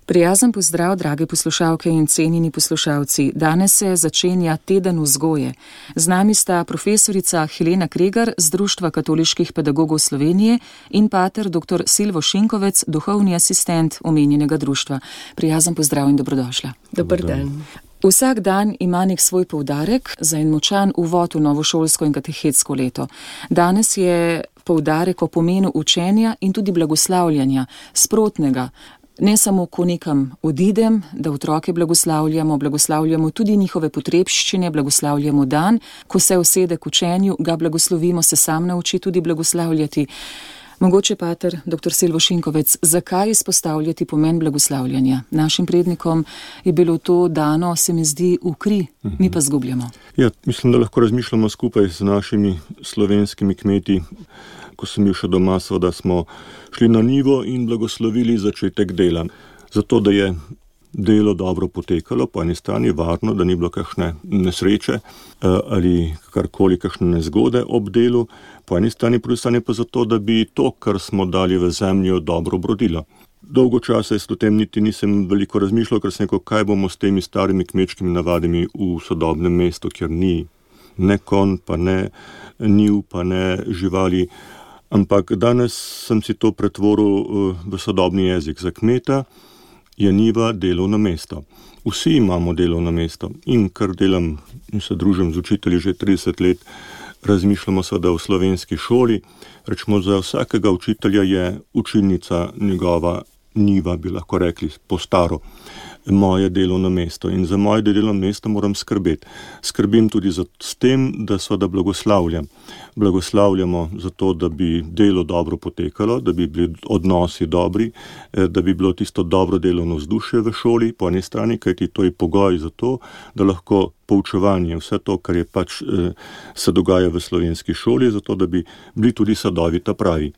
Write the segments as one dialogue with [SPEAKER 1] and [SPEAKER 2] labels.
[SPEAKER 1] Prijazen pozdrav, drage poslušalke in cenjeni poslušalci. Danes se začenja teden vzgoje. Z nami sta profesorica Helena Kregar z Društva katoliških pedagogov Slovenije in pater dr. Silvo Šinkovec, duhovni asistent omenjenega društva. Prijazen pozdrav in dobrodošla.
[SPEAKER 2] Dober dan.
[SPEAKER 1] Vsak dan ima nek svoj poudarek za en močan uvod v novošolsko in katehetsko leto. Danes je poudarek o pomenu učenja in tudi blagoslavljanja, sprotnega. Ne samo, ko nekam odidem, da otroke blagoslavljamo tudi njihove potrebščine, blagoslavljamo dan, ko se usede k učenju, ga blagoslovimo, se sam nauči tudi blagoslavljati. Mogoče, pater dr. Silvo Šinkovec, zakaj izpostavljati pomen blagoslavljanja? Našim prednikom je bilo to dano, se mi zdi, v kri, mi pa zgubljamo.
[SPEAKER 3] Ja, mislim, da lahko razmišljamo skupaj z našimi slovenskimi kmeti. Ko sem bil še doma, seveda smo šli na njivo in blagoslovili začetek dela. Zato, da je delo dobro potekalo, po eni strani varno, da ni bilo kakšne nesreče ali karkoli, kakšne nezgode ob delu, po eni strani, po drugi strani pa zato, da bi to, kar smo dali v zemljo, dobro obrodilo. Dolgo časa o tem niti nisem veliko razmišljal, ker sem rekel, kaj bomo s temi starimi kmečkimi navadami v sodobnem mestu, kjer ni ne konj, pa ne njiv, pa ne živali. Ampak danes sem si to pretvoril v sodobni jezik. Za kmeta je njiva delovno mesto. Vsi imamo delovno mesto in kar delam in se družim z učitelji že 30 let, razmišljamo seveda o slovenski šoli. Rečemo, za vsakega učitelja je učilnica njegova njiva, bi lahko rekli, po staro, moje delovno mesto. In za moje delovno mesto moram skrbeti. Skrbim tudi s tem, da seveda blagoslavljam. Blagoslavljamo zato, da bi delo dobro potekalo, da bi bili odnosi dobri, da bi bilo tisto dobro delovno vzdušje v šoli, po eni strani, kajti to je pogoj za to, da lahko poučevanje, vse to, kar je pač se dogaja v slovenski šoli, zato da bi bili tudi sadovi ta pravi.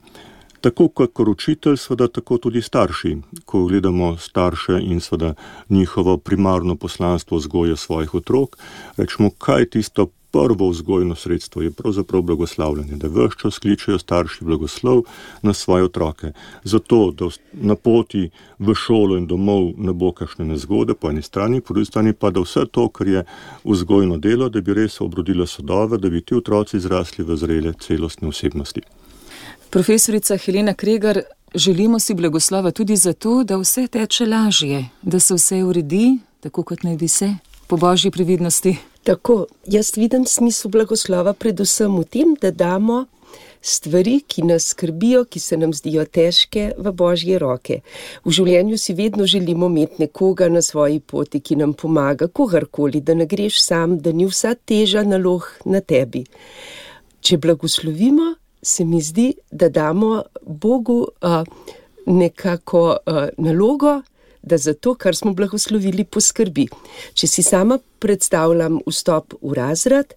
[SPEAKER 3] Tako kot učitelj, seveda tako tudi starši. Ko gledamo starše in seveda njihovo primarno poslanstvo vzgoje svojih otrok, rečemo, kaj je tisto prvo vzgojno sredstvo, je pravzaprav blagoslavljanje, da ves čas kličejo starši blagoslov na svoje otroke. Zato, da na poti v šolo in domov ne bo kakšne nezgode, po eni strani, po drugi strani pa, da vse to, kar je vzgojno delo, da bi res obrodilo sadove, da bi ti otroci zrasli v zrele celostne osebnosti.
[SPEAKER 1] Profesorica Helena Kregar, želimo si blagoslova tudi zato, da vse teče lažje, da se vse uredi, tako kot naj bi se, po božji previdnosti.
[SPEAKER 2] Tako, jaz vidim smisel blagoslova predvsem v tem, da damo stvari, ki nas skrbijo, ki se nam zdijo težke, v božje roke. V življenju si vedno želimo imeti nekoga na svoji poti, ki nam pomaga, kogarkoli, da ne greš sam, da ni vsa teža nalog na tebi. Če blagoslovimo, se mi zdi, da damo Bogu nekako nalogo, da za to, kar smo blagoslovili, poskrbi. Če si sama predstavljam vstop v razred,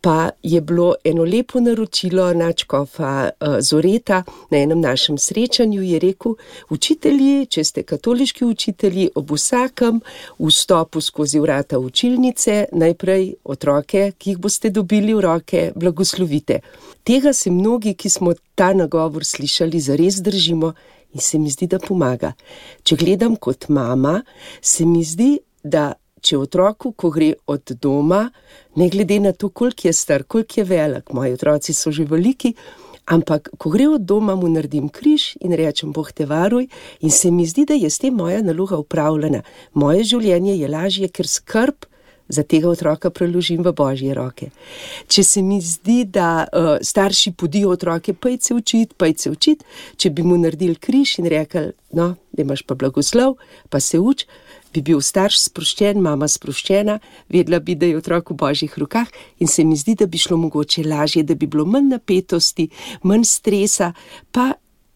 [SPEAKER 2] pa je bilo eno lepo naročilo nadškofa Zoreta na enem našem srečanju, je rekel, učitelji, če ste katoliški učitelji, ob vsakem vstopu skozi vrata učilnice, najprej otroke, ki jih boste dobili v roke, blagoslovite. Tega se mnogi, ki smo ta nagovor slišali, zares držimo in se mi zdi, da pomaga. Če gledam kot mama, se mi zdi, da če otroku, ko gre od doma, ne glede na to, koliko je star, koliko je velik, moji otroci so že veliki, ampak ko gre od doma, mu naredim križ in rečem, Bog te varuj, in se mi zdi, da je s tem moja naloga upravljena. Moje življenje je lažje, ker skrb za tega otroka preložim v božje roke. Če se mi zdi, da starši podijo otroke, pojdi se učit, če bi mu naredili križ in rekli, no, da imaš pa blagoslov, pa se uč, bi bil starš sproščen, mama sproščena, vedela bi, da je otrok v božjih rokah in se mi zdi, da bi šlo mogoče lažje, da bi bilo manj napetosti, manj stresa, pa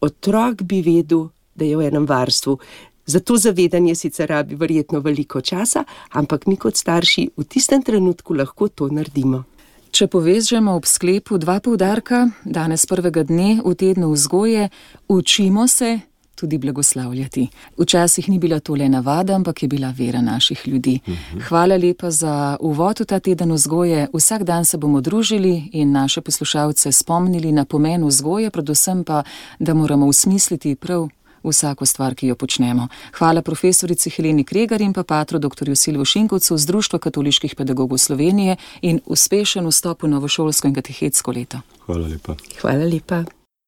[SPEAKER 2] otrok bi vedel, da je v enem varstvu. Za to zavedanje sicer rabi verjetno veliko časa, ampak mi kot starši v tistem trenutku lahko to naredimo.
[SPEAKER 1] Če povežemo ob sklepu dva poudarka, danes prvega dne v tednu vzgoje, učimo se tudi blagoslavljati. Včasih ni bila to le navada, ampak je bila vera naših ljudi. Hvala lepa za uvod v ta teden vzgoje. Vsak dan se bomo družili in naše poslušalce spomnili na pomen vzgoje, predvsem pa, da moramo usmisliti prav vsako stvar, ki jo počnemo. Hvala profesorici Heleni Kregar in pa patru dr. Silvu Šinkovcu z Društva katoliških pedagogov Slovenije in uspešen vstop v novošolsko in katehetsko leto.
[SPEAKER 3] Hvala lepa.
[SPEAKER 2] Hvala lepa.